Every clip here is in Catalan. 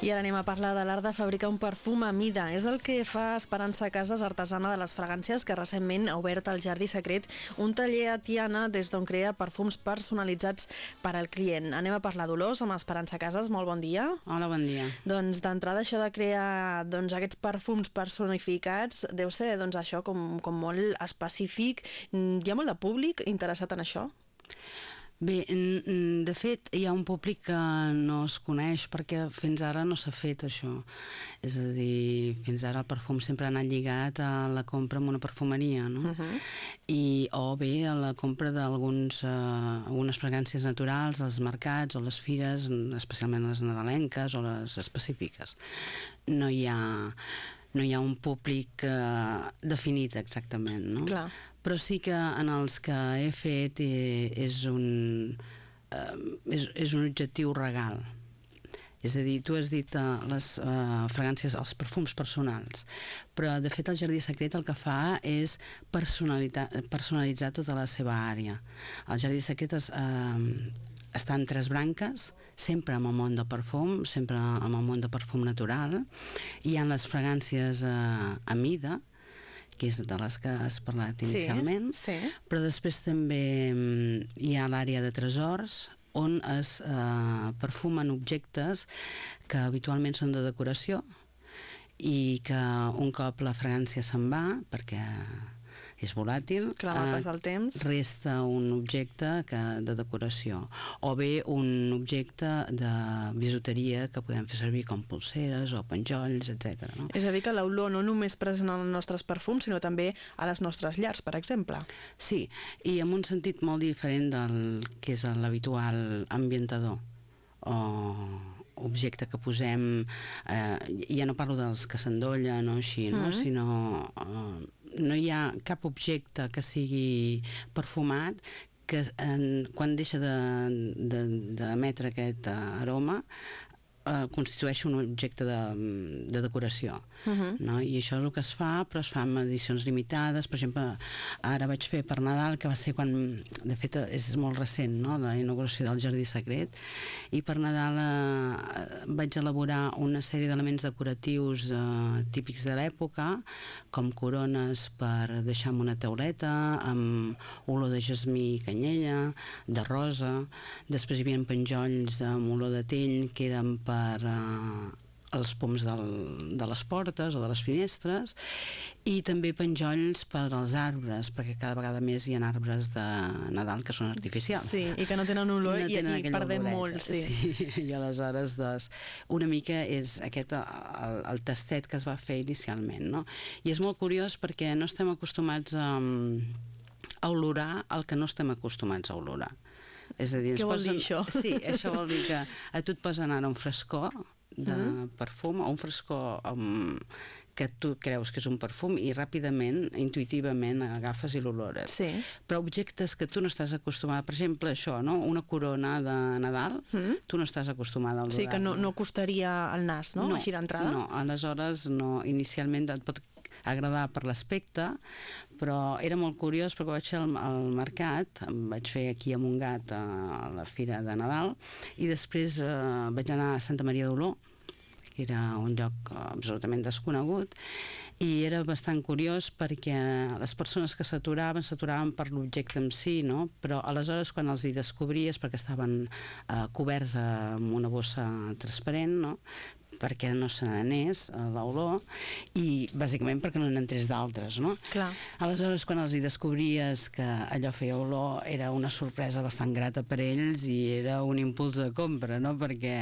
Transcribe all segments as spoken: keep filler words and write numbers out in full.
I ara anem a parlar de l'art de fabricar un perfum a mida. És el que fa Esperança Casas, artesana de les fragàncies, que recentment ha obert al Jardí Secret un taller a Tiana des d'on crea perfums personalitzats per al client. Anem a parlar d'olors amb Esperança Casas. Molt bon dia. Hola, bon dia. Doncs d'entrada això de crear doncs, aquests perfums personificats deu ser doncs, això com, com molt específic. Hi ha molt de públic interessat en això? Bé, de fet, hi ha un públic que no es coneix perquè fins ara no s'ha fet això. És a dir, fins ara el perfum sempre ha anat lligat a la compra en una perfumeria, no? Uh-huh. I, o bé a la compra d'algunes uh, fragàncies naturals als mercats o les fires, especialment les nadalenques o les específiques. No hi ha... no hi ha un públic eh, definit exactament, no? Clar. Però sí que en els que he fet eh, és, un, eh, és, és un objectiu regal. És a dir, tu has dit uh, les uh, fragàncies, els perfums personals, però de fet el Jardí Secret el que fa és personalitzar, personalitzar tota la seva àrea. El Jardí Secret és... Uh, està en tres branques, sempre amb el món del perfum, sempre amb el món del perfum natural. Hi ha les fragàncies eh, a mida, que és de les que has parlat inicialment, sí, sí. Però després també hi ha l'àrea de tresors, on es eh, perfumen objectes que habitualment són de decoració i que un cop la fragància se'n va, perquè és volàtil, clar, va passar el temps, resta un objecte que, de decoració, o bé un objecte de bisuteria que podem fer servir com pulseres o penjolls, etcètera. No? És a dir, que l'olor no només present en els nostres perfums, sinó també a les nostres llars, per exemple. Sí, i en un sentit molt diferent del que és l'habitual ambientador o objecte que posem, eh, ja no parlo dels que s'endollen o així, no? Mm. sinó eh, no hi ha cap objecte que sigui perfumat que en, quan deixa d'emetre de, de, aquest aroma eh, constitueix un objecte de, de decoració. Uh-huh. No? I això és el que es fa, però es fa amb edicions limitades. Per exemple, ara vaig fer per Nadal, que va ser quan, de fet és molt recent, no? La inauguració del Jardí Secret, i per Nadal eh, vaig elaborar una sèrie d'elements decoratius eh, típics de l'època, com corones per deixar en una tauleta, amb olor de jasmí i canyella, de rosa. Després hi havia penjolls amb olor de tell, que eren per per uh, els poms del, de les portes o de les finestres, i també penjolls per als arbres, perquè cada vegada més hi ha arbres de Nadal que són artificials. Sí, i que no tenen olor, no i, tenen i perdem molt. Sí. Sí, i aleshores doncs, una mica és aquest el, el tastet que es va fer inicialment, no? I és molt curiós perquè no estem acostumats a, a olorar el que no estem acostumats a olorar. És a dir, què vol posen... dir això? Sí, això vol dir que a tu et posen ara un frescor de uh-huh. perfum, o un frescor um, que tu creus que és un perfum i ràpidament, intuïtivament agafes i l'olores. Sí. Però objectes que tu no estàs acostumada, per exemple això, no? Una corona de Nadal, uh-huh. tu no estàs acostumada a olorar. Sí, que no, no costaria el nas, no? no Així d'entrada? No, aleshores no, inicialment et pot agradar per l'aspecte, però era molt curiós perquè vaig fer al, al mercat, em vaig fer aquí a Montgat a la fira de Nadal, i després eh, vaig anar a Santa Maria d'Oló, que era un lloc absolutament desconegut, i era bastant curiós perquè les persones que s'aturaven s'aturaven per l'objecte en si, no? Però aleshores quan els hi descobries, perquè estaven eh, coberts amb una bossa transparent, no? Perquè no se n'anés l'olor, i bàsicament perquè no n'entrés d'altres, no? Clar. Aleshores, quan els hi descobries que allò feia olor, era una sorpresa bastant grata per ells i era un impuls de compra, no? Perquè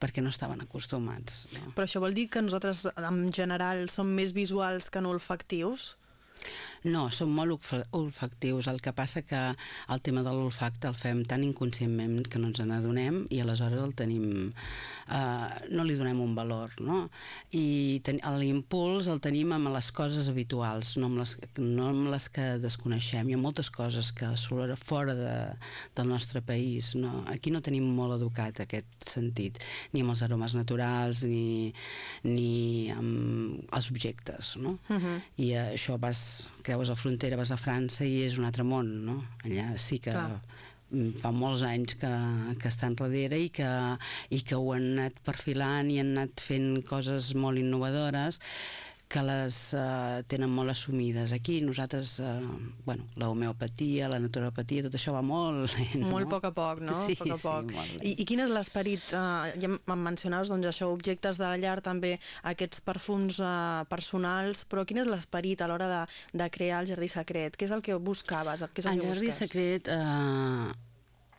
perquè no estaven acostumats. No? Però això vol dir que nosaltres, en general, som més visuals que no olfactius? No, som molt olfactius. El que passa que el tema de l'olfacte el fem tan inconscientment que no ens n'adonem i aleshores el tenim... Eh, no li donem un valor, no? I ten, l'impuls el tenim amb les coses habituals, no amb les, no amb les que desconeixem. Hi ha moltes coses que s'oloren fora de, del nostre país, no? Aquí no tenim molt educat aquest sentit, ni amb els aromes naturals, ni, ni amb els objectes, no? Uh-huh. I això vas... creues la frontera, vas a França i és un altre món, no? Allà sí que Clar. fa molts anys que, que estan darrere i que, i que ho han anat perfilant i han anat fent coses molt innovadores que les uh, tenen molt assumides. Aquí nosaltres, uh, bueno, la homeopatia, la naturopatia, tot això va molt lent, no? Molt a poc a poc, no? Sí, poc a poc. sí, molt lent. I, I quin és l'esperit? Uh, ja em mencionaves, doncs, això, objectes de la llar, també aquests perfums uh, personals, però quin és l'esperit a l'hora de, de crear el Jardí Secret? Què és el que buscaves? Què és el, el que Jardí busques? Secret... Uh...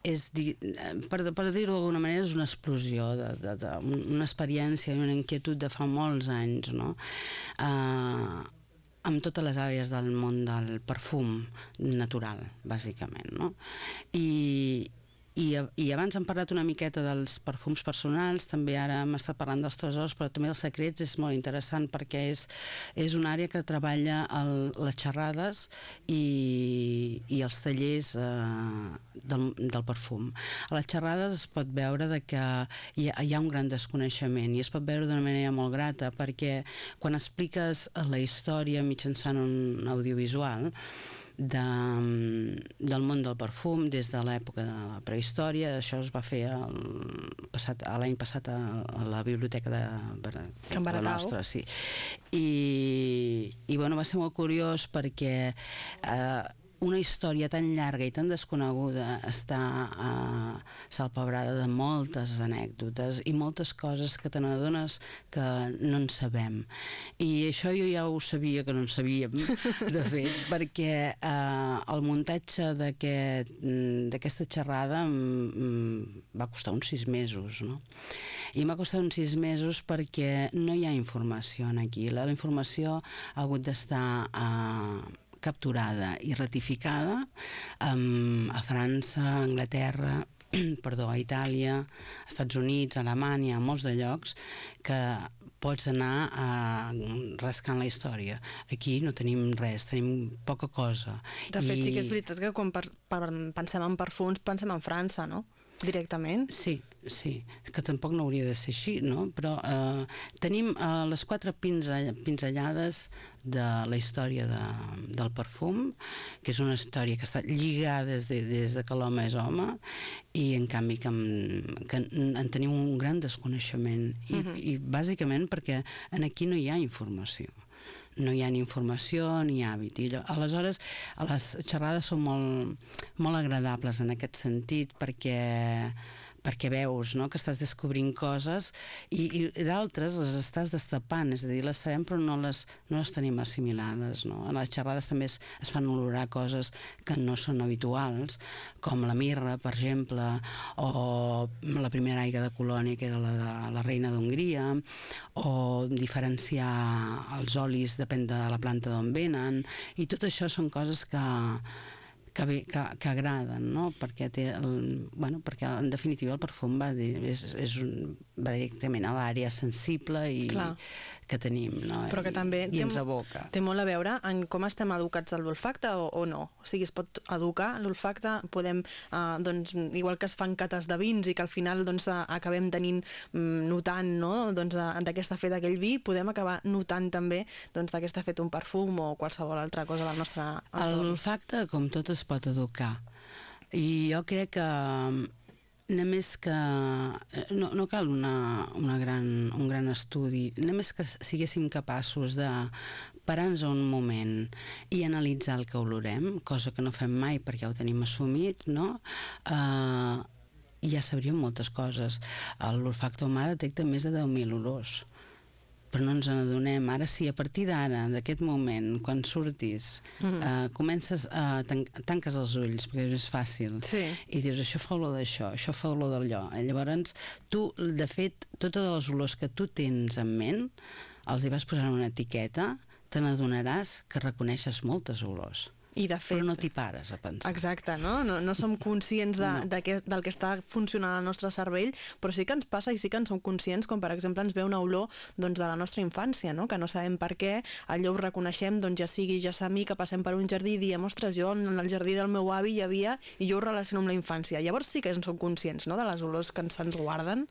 és, per, per dir-ho d'alguna manera, és una explosió, de, de, de, una experiència i una inquietud de fa molts anys, no? Uh, amb totes les àrees del món del perfum natural, bàsicament, no? I, i, i abans hem parlat una miqueta dels perfums personals, també ara hem estat parlant dels tresors, però també els secrets és molt interessant perquè és, és una àrea que treballa el, les xerrades i, i els tallers eh, del, del perfum. A les xerrades es pot veure de que hi ha, hi ha un gran desconeixement i es pot veure d'una manera molt grata perquè quan expliques la història mitjançant un audiovisual de, del món del perfum des de l'època de la prehistòria, això es va fer l'any passat a, a la biblioteca de, de la nostra, sí. I, i bueno, va ser molt curiós perquè eh, una història tan llarga i tan desconeguda està uh, salpebrada de moltes anècdotes i moltes coses que te n'adones que no en sabem. I això jo ja ho sabia que no en sabíem, de fet, perquè uh, el muntatge d'aquesta xerrada mm, va costar uns sis mesos, no? I m'ha costat uns sis mesos perquè no hi ha informació aquí. La, la informació ha hagut d'estar a uh, capturada i ratificada um, a França, a Anglaterra, perdó, a Itàlia, als Estats Units, a Alemanya, a molts de llocs que pots anar uh, rascant la història. Aquí no tenim res, tenim poca cosa. De fet, I... sí que és veritat que quan per, per, pensem en perfums pensem en França, no? Directament? Sí, sí, que tampoc no hauria de ser així, no? Però eh, tenim eh, les quatre pinzellades de la història de, del perfum, que és una història que està lligada des de, des de que l'home és home, i en canvi que, que en tenim un gran desconeixement, i, uh-huh. i bàsicament perquè en aquí no hi ha informació. No hi ha ni informació ni hàbit. I aleshores, les xerrades són molt, molt agradables en aquest sentit perquè perquè veus, no?, que estàs descobrint coses i, i d'altres les estàs destapant, és a dir, les sabem però no les, no les tenim assimilades, no? En les xerrades també es, es fan olorar coses que no són habituals, com la mirra, per exemple, o la primera aigua de colònia, que era la de la reina d'Hongria, o diferenciar els olis depèn de la planta d'on venen, i tot això són coses que Que, bé, que, que agraden, no? Perquè, té el, bueno, perquè en definitiva el perfum va, dir, és, és un, va directament a l'àrea sensible i Clar. que tenim, no? Però que també I, i ens aboca. Té molt a veure en com estem educats a l'olfacte o, o no. O sigui, es pot educar l'olfacte, podem, eh, doncs, igual que es fan cates de vins i que al final doncs, acabem tenint, notant, no? Doncs, d'aquesta fet aquell vi, podem acabar notant també doncs, d'aquesta fet un perfum o qualsevol altra cosa del nostre entorn. L'olfacte, com tot, es pot educar. I jo crec que només que no, no cal una, una gran, un gran estudi, només que siguéssim capaços de parar-nos un moment i analitzar el que olorem, cosa que no fem mai perquè ho tenim assumit, no? Uh, ja sabríem moltes coses. L'olfacte humà detecta més de deu mil olors, però no ens n'adonem. Ara sí, a partir d'ara, d'aquest moment, quan surtis, mm. eh, comences a tan tanques els ulls, perquè és més fàcil, sí. i dius, això fa olor d'això, això fa olor d'allò. Llavors, tu, de fet, totes les olors que tu tens en ment, els hi vas posar una etiqueta, te n'adonaràs que reconeixes moltes olors. I de fet, però no t'hi pares a pensar. Exacte, no? No, no som conscients de, no. de que, del que està funcionant al nostre cervell, però sí que ens passa i sí que en som conscients, com per exemple ens ve una olor doncs, de la nostra infància, no? Que no sabem per què, allò ho reconeixem, doncs ja sigui ja mi que passem per un jardí i diem, ostres, jo en el jardí del meu avi hi havia i jo ho relaciono amb la infància. Llavors sí que en som conscients, no?, de les olors que se'ns guarden.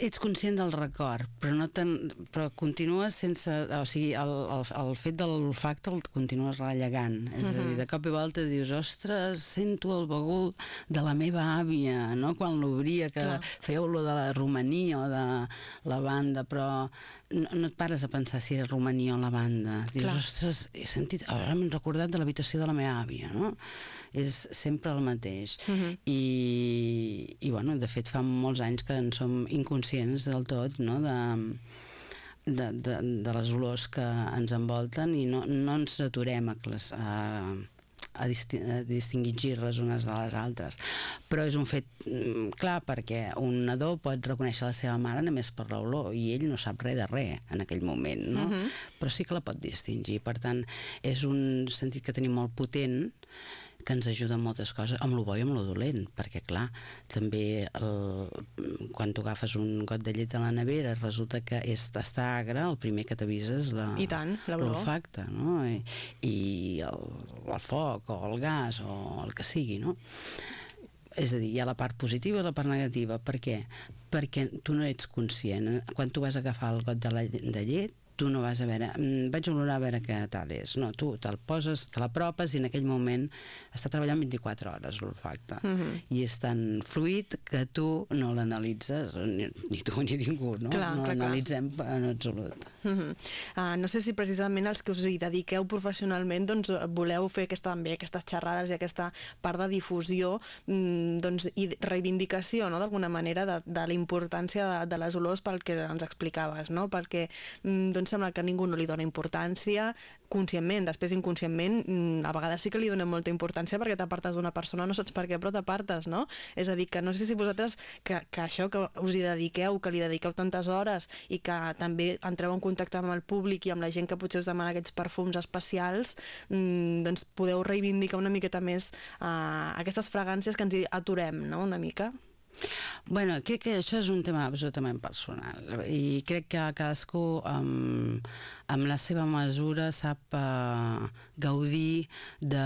Ets conscient del record, però, no ten, però continues sense... O sigui, el, el, el fet de l'olfacte el continues rellegant, és a dir, I de cop i volta dius, ostres, sento el bagul de la meva àvia, no? Quan l'obria, que Clar. feia olor de la Romania o de lavanda, però no, no et pares a pensar si era Romania o lavanda. Dius, Clar. ostres, he sentit, ara m'he recordat de l'habitació de la meva àvia, no? És sempre el mateix. Uh-huh. I, i, bueno, de fet, fa molts anys que en som inconscients del tot, no?, de, de, de, de les olors que ens envolten i no, no ens aturem a, les, a, a, disti a distingir les unes de les altres. Però és un fet clar, perquè un nadó pot reconèixer la seva mare només per l'olor i ell no sap res de res en aquell moment, no? Uh-huh. Però sí que la pot distingir. Per tant, és un sentit que tenim molt potent, que ens ajuda en moltes coses, amb lo bo i amb lo dolent, perquè clar, també el, quan tu agafes un got de llet de la nevera resulta que és està agre, el primer que t'avisa és l'olfacte, no? I, i el, el foc o el gas o el que sigui, no? És a dir, hi ha la part positiva i la part negativa. Per què? Perquè tu no ets conscient. Quan tu vas agafar el got de, la, de llet, tu no vas a veure, vaig olorar a veure què tal és. No, tu te'l poses, te l'apropes i en aquell moment està treballant vint-i-quatre hores l'olfacte. Uh-huh. I és tan fluid que tu no l'analitzes, ni, ni tu ni ningú, no? Clar, no l'analitzem en absolut. Uh-huh. uh, no sé si precisament els que us hi dediqueu professionalment doncs, voleu fer aquesta, també aquestes xerrades i aquesta part de difusió doncs, i reivindicació, no? D'alguna manera de, de la importància de, de les olors pel que ens explicaves, no? Perquè doncs, sembla que ningú no li dona importància conscientment, després inconscientment a vegades sí que li donem molta importància perquè t'apartes d'una persona, no saps per què, però t'apartes, no? És a dir, que no sé si vosaltres que, que això que us hi dediqueu, que li dediqueu tantes hores i que també entreu en contacte amb el públic i amb la gent que potser us demana aquests perfums especials, doncs podeu reivindicar una miqueta més uh, aquestes fragàncies que ens hi aturem, no?, una mica. Bueno, crec que això és un tema absolutament personal i crec que cadascú amb, amb la seva mesura sap uh, gaudir de,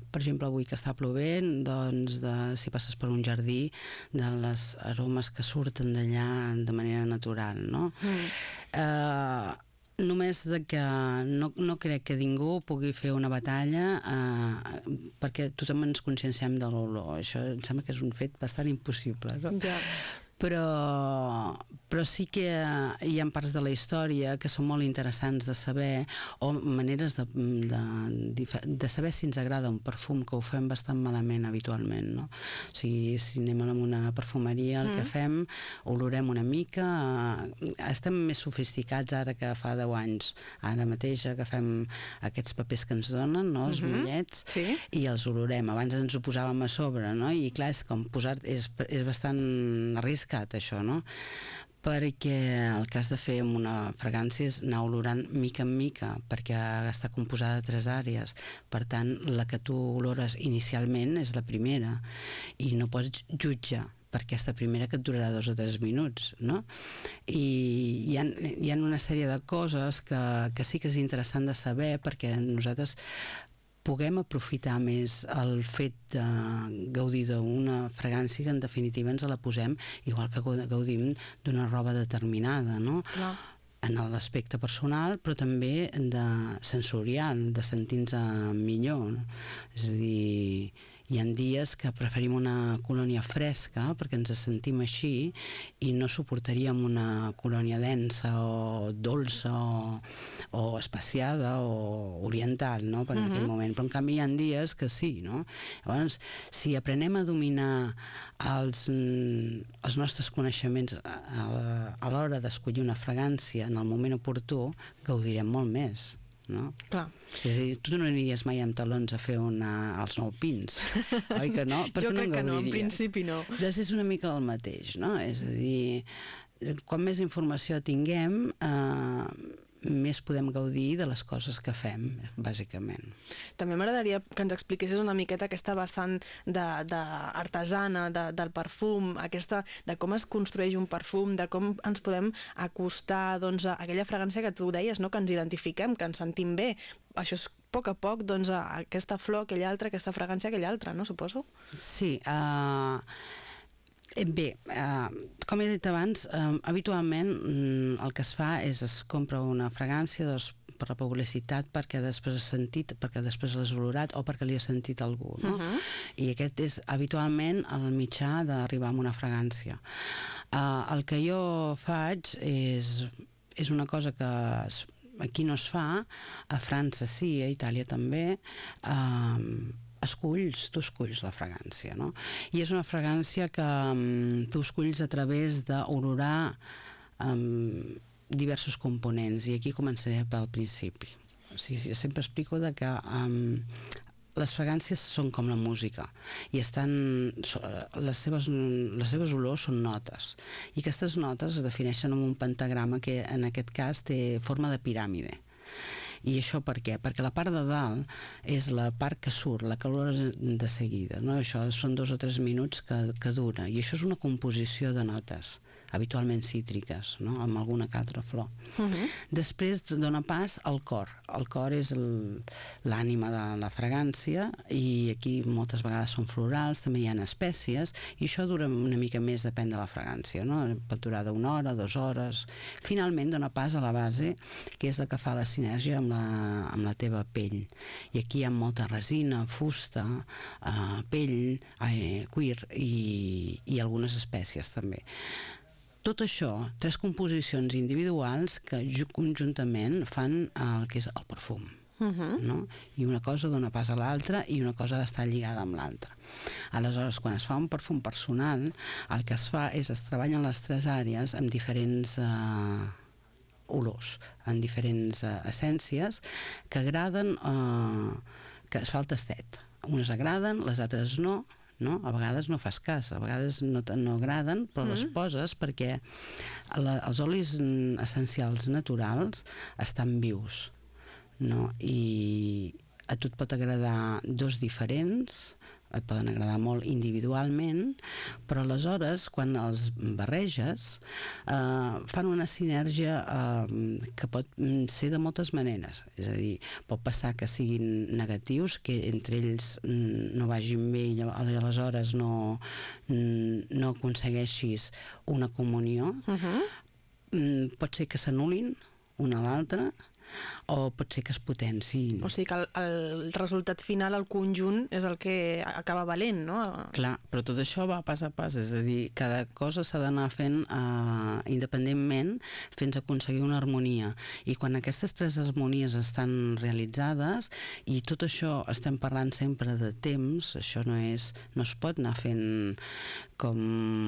per exemple, avui que està plovent, doncs de, si passes per un jardí, de les aromes que surten d'allà de manera natural, no? Mm. Uh, Només de que no, no crec que ningú pugui fer una batalla eh, perquè tothom ens conscienciem de l'olor. Això em sembla que és un fet bastant impossible, no? Ja. Però, però sí que hi ha parts de la història que són molt interessants de saber o maneres de, de, de saber si ens agrada un perfum, que ho fem bastant malament habitualment, no? O sigui, si anem a una perfumeria, el mm. que fem, olorem una mica, estem més sofisticats ara que fa deu anys. Ara mateix agafem aquests papers que ens donen, no? Els mm-hmm. motllets, sí. i els olorem. Abans ens ho posàvem a sobre, no? I clar, és com posar... És, és bastant arriscat això, no? Perquè el que has de fer amb una fragància és anar olorant mica en mica, perquè està composada de tres àrees. Per tant, la que tu olores inicialment és la primera i no pots jutjar per aquesta primera que et durarà dos o tres minuts, no? I hi ha, hi ha una sèrie de coses que, que sí que és interessant de saber perquè nosaltres puguem aprofitar més el fet de gaudir d'una fragància que en definitiva ens la posem igual que gaudim d'una roba determinada, no? Clar. En l'aspecte personal, però també de sensorial, de sentir-nos millor, no? És a dir, hi ha dies que preferim una colònia fresca perquè ens sentim així i no suportaríem una colònia densa o dolça o, o espaciada o oriental, no?, per en uh-huh. aquell moment. Però en canvi hi ha dies que sí, no? Llavors, si aprenem a dominar els, els nostres coneixements a l'hora d'escollir una fragància en el moment oportú, gaudirem molt més. No? Clar. És a dir, tu no aniries mai amb talons a fer una, els nou pins, oi que no? Jo crec que no, en principi no. Doncs és una mica el mateix, no? És a dir, quan més informació tinguem, eh, més podem gaudir de les coses que fem, bàsicament. També m'agradaria que ens expliquessis una miqueta aquesta vessant d'artesana, de, de, del perfum, aquesta, de com es construeix un perfum, de com ens podem acostar doncs, a aquella fragància que tu deies, no? Que ens identifiquem, que ens sentim bé. Això és a poc a poc, doncs, a aquesta flor, aquella altra, aquesta fragància, aquella altra, no? Suposo? Sí, uh... Bé, eh, com he dit abans, eh, habitualment mm, el que es fa és es compra una fragància, dos per la publicitat, perquè després has sentit, perquè després l'has olorat o perquè li has sentit algú, no? Uh-huh. I aquest és habitualment el mitjà d'arribar a una fragància. Uh, el que jo faig és, és una cosa que es, aquí no es fa, a França sí, a Itàlia també, uh, esculls, tu esculls la fragància, no? I és una fragància que um, tu esculls a través d'olorar um, diversos components, i aquí començaré pel principi. O sigui, sempre explico de que um, les fragàncies són com la música i estan, les seves, les seves olors són notes, i aquestes notes es defineixen amb un pentagrama que en aquest cas té forma de piràmide. I això per què? Perquè la part de dalt és la part que surt, la que olores de seguida, no? Això són dos o tres minuts que, que dura, i això és una composició de notes, habitualment cítriques, no? Amb alguna que altra flor. Uh-huh. Després dona pas al cor. El cor és l'ànima de la fragància, i aquí moltes vegades són florals, també hi ha espècies, i això dura una mica més, depèn de la fragància, no? Pot durar d'una hora, dues hores. Finalment dona pas a la base, que és la que fa la sinergia amb la, amb la teva pell. I aquí hi ha molta resina, fusta, eh, pell, eh, cuir i, i algunes espècies també. Tot això, tres composicions individuals que conjuntament fan el que és el perfum. Uh-huh. No? I una cosa dona pas a l'altra, i una cosa ha d'estar lligada amb l'altra. Aleshores, quan es fa un perfum personal, el que es fa és es treballen les tres àrees amb diferents eh, olors, amb diferents eh, essències que agraden, eh, que es fa el tastet. Unes agraden, les altres no, no? A vegades no fas cas, a vegades no, no agraden, però mm. les poses perquè la, els olis essencials naturals estan vius, no? I a tu et pot agradar dos diferents, et poden agradar molt individualment, però aleshores, quan els barreges, eh, fan una sinergia eh, que pot ser de moltes maneres. És a dir, pot passar que siguin negatius, que entre ells no vagin bé i aleshores no, no aconsegueixis una comunió. Uh-huh. Pot ser que s'anul·lin una a l'altra, o pot ser que es potenciïn. O sigui que el, el resultat final, el conjunt, és el que acaba valent, no? Clar, però tot això va pas a pas, és a dir, cada cosa s'ha d'anar fent uh, independentment fins a aconseguir una harmonia. I quan aquestes tres harmonies estan realitzades, i tot això estem parlant sempre de temps, això no és, no es pot anar fent com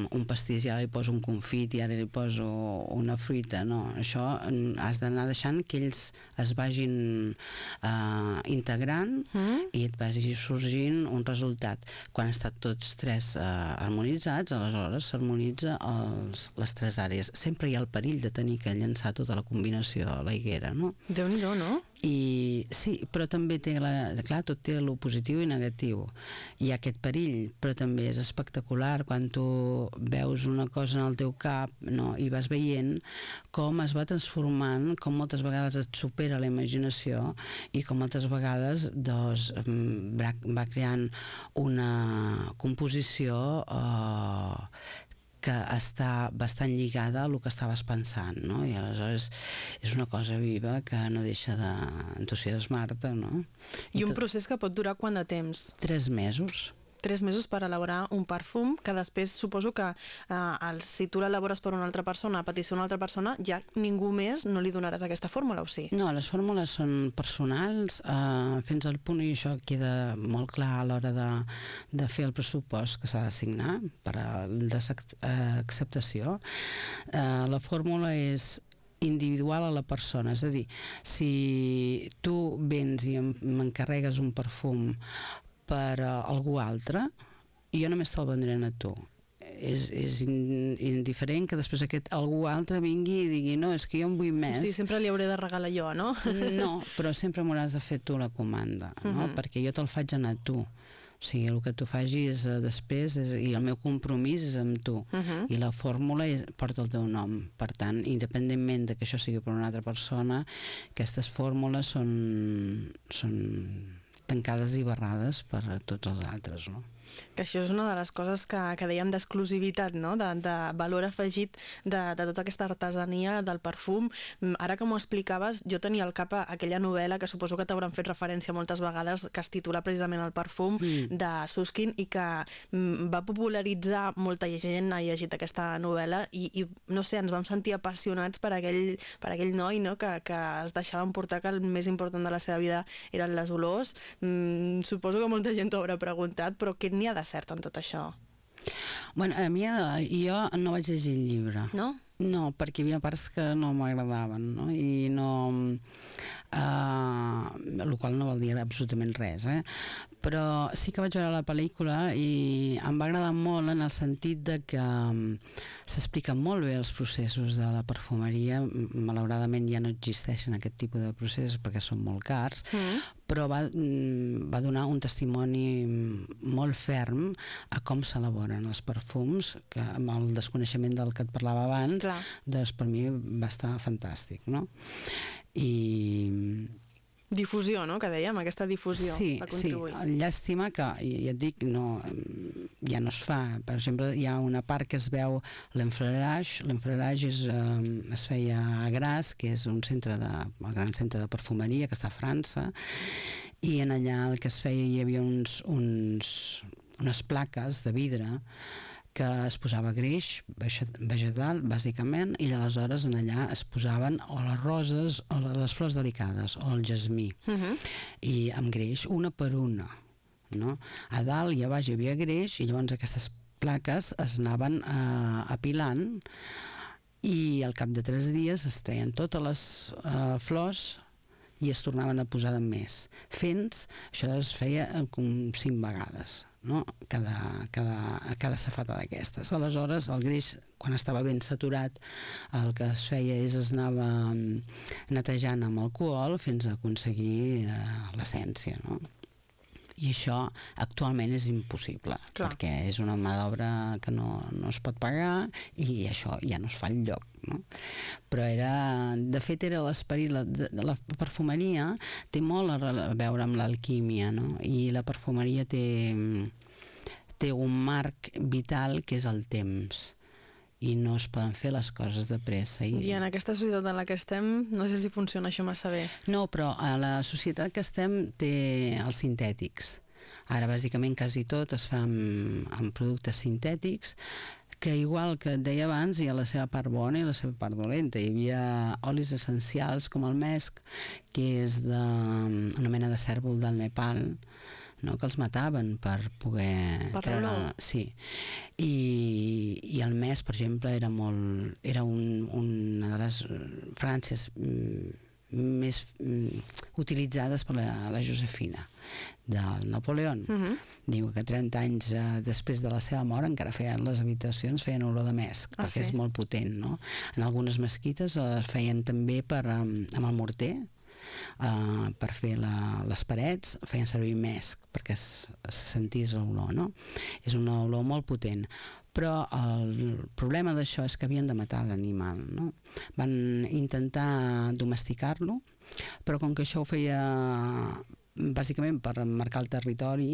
un pastís, i ara li poso un confit i ara li poso una fruita, no. Això has d'anar deixant que ells es vagin uh, integrant mm. i et vagi sorgint un resultat. Quan estan tots tres uh, harmonitzats, aleshores s'harmonitza els, les tres àrees. Sempre hi ha el perill de tenir que llançar tota la combinació a la higuera, no? Déu-n'hi-do, no? I sí, però també té, la, clar, tot té el positiu i negatiu. Hi ha aquest perill, però també és espectacular quan tu veus una cosa en el teu cap, no? I vas veient com es va transformant, com moltes vegades et supera la imaginació i com moltes vegades doncs, va, va creant una composició eh, que està bastant lligada al que estaves pensant, no? I aleshores és una cosa viva que no deixa d'entusiasmar-te, no? I un procés que pot durar quant de temps? Tres mesos. Tres mesos per elaborar un perfum que després suposo que eh, si tu l'elabores per una altra persona, a petició d'una altra persona, ja ningú més no li donaràs aquesta fórmula, o sí? No, les fórmules són personals eh, fins al punt, i això queda molt clar a l'hora de, de fer el pressupost que s'ha de signar per a l'acceptació. Eh, la fórmula és individual a la persona, és a dir, si tu vens i m'encarregues un perfum per uh, algú altre, jo només te'l vendré a tu. És, és in, indiferent que després aquest algú altre vingui i digui no, és que jo en vull més. Sí, sempre li hauré de regalar jo, no? No, però sempre m'hauràs de fer tu la comanda, no? Uh-huh. Perquè jo te'l faig anar a tu. O sigui, el que tu facis uh, després és, i el meu compromís és amb tu. Uh-huh. I la fórmula és, porta el teu nom. Per tant, independentment de que això sigui per una altra persona, aquestes fórmules són... són tancades i barrades per a tots els altres, no? Que això és una de les coses que, que dèiem d'exclusivitat, no? de, de valor afegit de, de tota aquesta artesania del perfum. Ara que m'ho explicaves, jo tenia al cap aquella novel·la que suposo que t'hauran fet referència moltes vegades, que es titula precisament El perfum, mm. de Suskind, i que va popularitzar, molta gent ha llegit aquesta novel·la, i, i no sé, ens vam sentir apassionats per aquell, per aquell noi, no? que, que es deixava emportar que el més important de la seva vida eren les olors. Mm, suposo que molta gent t'ho haurà preguntat, però què n'hi ha de cert en tot això? Bueno, a mi, jo no vaig llegir el llibre. No? No, perquè hi havia parts que no m'agradaven, no? I no... Uh, el qual no vol dir absolutament res, eh? Però sí que vaig veure la pel·lícula i em va agradar molt en el sentit de que um, s'expliquen molt bé els processos de la perfumeria. Malauradament ja no existeixen aquest tipus de processos perquè són molt cars, mm. però va, va donar un testimoni molt ferm a com s'elaboren els perfums, que amb el desconeixement del que et parlava abans, Clar. doncs per mi va estar fantàstic, no? I... Difusió, no?, que dèiem, aquesta difusió sí, va contribuir. Sí, llàstima que, ja et dic, no, ja no es fa. Per exemple, hi ha una part que es veu l'enflorage. L'enflorage es, eh, es feia a Grasse, que és un centre de, un gran centre de perfumeria que està a França, i en allà el que es feia hi havia uns, uns, unes plaques de vidre que es posava greix vegetal, bàsicament, i aleshores en allà es posaven o les roses o les flors delicades o el jasmí, uh-huh. i amb greix, una per una, no? A dalt i a baix hi havia greix, i llavors aquestes plaques es anaven uh, apilant, i al cap de tres dies es treien totes les uh, flors i es tornaven a posar de més. Fent, això es feia com cinc vegades, no? Cada, cada, cada safata d'aquestes. Aleshores, el greix, quan estava ben saturat, el que es feia és es anava netejant amb alcohol fins a aconseguir eh, l'essència, no? I això actualment és impossible, Clar. perquè és una mà d'obra que no, no es pot pagar i això ja no es fa enlloc, no? Però era, de fet era l'esperit, la, de, la perfumeria té molt a veure amb l'alquímia, no? I la perfumeria té, té un marc vital que és el temps, i no es poden fer les coses de pressa. I... I en aquesta societat en la que estem, no sé si funciona això massa bé. No, però a la societat que estem té els sintètics. Ara, bàsicament, quasi tot es fa amb, amb productes sintètics, que igual que et deia abans, hi ha la seva part bona i la seva part dolenta. Hi havia olis essencials com el mesc, que és de, una mena de cèrvol del Nepal, no? Que els mataven per poder per treure... Sí. I, i el mesc, per exemple, era molt... era un, una de les fragàncies més utilitzades per la, la Josefina del Napoleó. Uh-huh. Diu que trenta anys eh, després de la seva mort encara feien les habitacions, feien olor de mesc, ah, perquè sí? És molt potent, no? En algunes mesquites es feien també per, amb el morter, Uh, per fer la, les parets feien servir mesc perquè es, es sentís l'olor, no? És una olor molt potent, però el problema d'això és que havien de matar l'animal, no? Van intentar domesticar-lo, però com que això ho feia bàsicament per marcar el territori,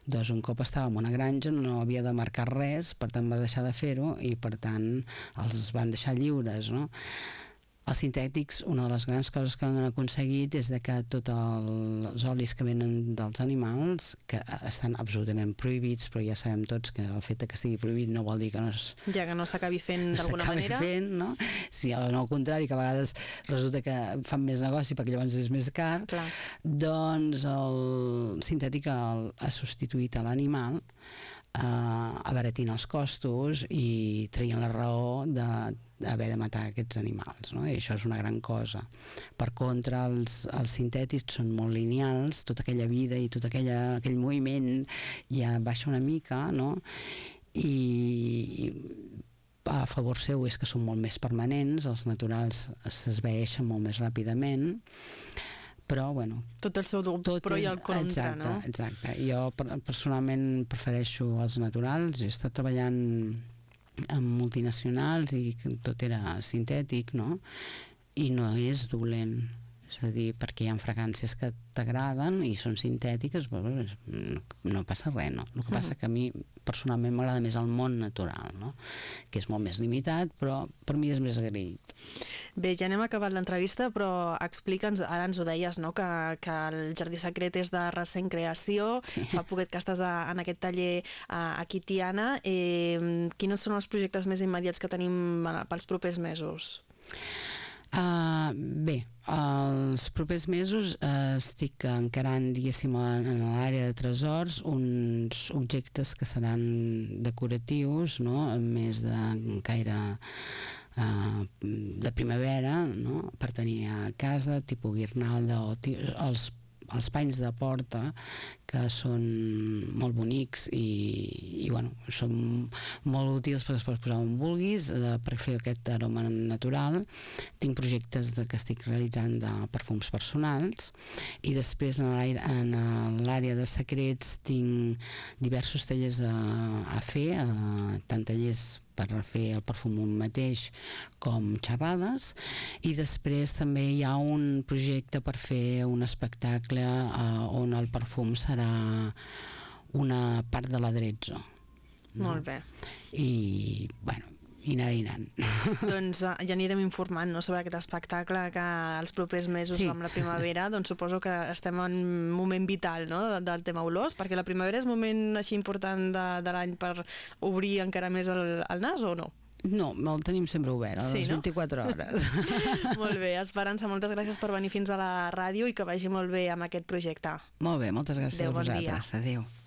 doncs un cop estava en una granja no havia de marcar res, per tant va deixar de fer-ho i per tant els van deixar lliures, no? Els sintètics, una de les grans coses que han aconseguit és de que tots els olis que venen dels animals, que estan absolutament prohibits, però ja sabem tots que el fet que estigui prohibit no vol dir que no es... Ja que no s'acabi fent d'alguna manera. S'acabi fent, no? Si no, al contrari, que a vegades resulta que fan més negoci perquè llavors és més car, Clar. Doncs el sintètic el, ha substituït a l'animal, eh, abaratint els costos i traient la raó de d'haver de matar aquests animals, no? I això és una gran cosa. Per contra, els, els sintètics són molt lineals, tota aquella vida i tot aquella, aquell moviment ja baixa una mica, no? I, i a favor seu és que són molt més permanents, els naturals s'esvaeixen molt més ràpidament, però, bueno... Tot el seu tot pro i el contra, exacte, no? Exacte. Jo personalment prefereixo els naturals. He estat treballant amb multinacionals i tot era sintètic, no? I no és dolent. És a dir, perquè hi ha fragàncies que t'agraden i són sintètiques, bueno, no, no passa res, no? El que passa que a mi personalment m'agrada més el món natural, no? Que és molt més limitat, però per mi és més agraït. Bé, ja anem acabant l'entrevista, però explica'ns, ara ens ho deies, no? que, que el Jardí Secret és de recent creació, sí. Fa poquet que estàs a, en aquest taller a, aquí a Tiana. Eh, quins són els projectes més immediats que tenim pels propers mesos? Uh, bé, els propers mesos uh, estic encarant, diguéssim, en l'àrea de tresors uns objectes que seran decoratius, no? Més de caire uh, de primavera, no? Per tenir a casa, tipus guirnalda o els els panys de porta, que són molt bonics i, i bueno, són molt útils perquè es pot posar on vulguis, de, per fer aquest aroma natural. Tinc projectes de, que estic realitzant de perfums personals, i després en l'àrea de secrets tinc diversos tallers a, a fer, a, tant tallers per fer el perfum un mateix com xerrades, i després també hi ha un projecte per fer un espectacle eh, on el perfum serà una part de l'aderezzo. No? Molt bé. I, bueno, i anar i anant. Doncs uh, ja anirem informant, no?, sobre aquest espectacle que els propers mesos, sí, amb la primavera, doncs suposo que estem en un moment vital, no?, de, del tema olors, perquè la primavera és un moment així important de, de l'any per obrir encara més el, el nas, o no? No, el tenim sempre obert, a les sí, no? vint-i-quatre hores. Molt bé, Esperança, moltes gràcies per venir fins a la ràdio i que vagi molt bé amb aquest projecte. Molt bé, moltes gràcies. Adéu, a vosaltres. Bon dia. Adéu.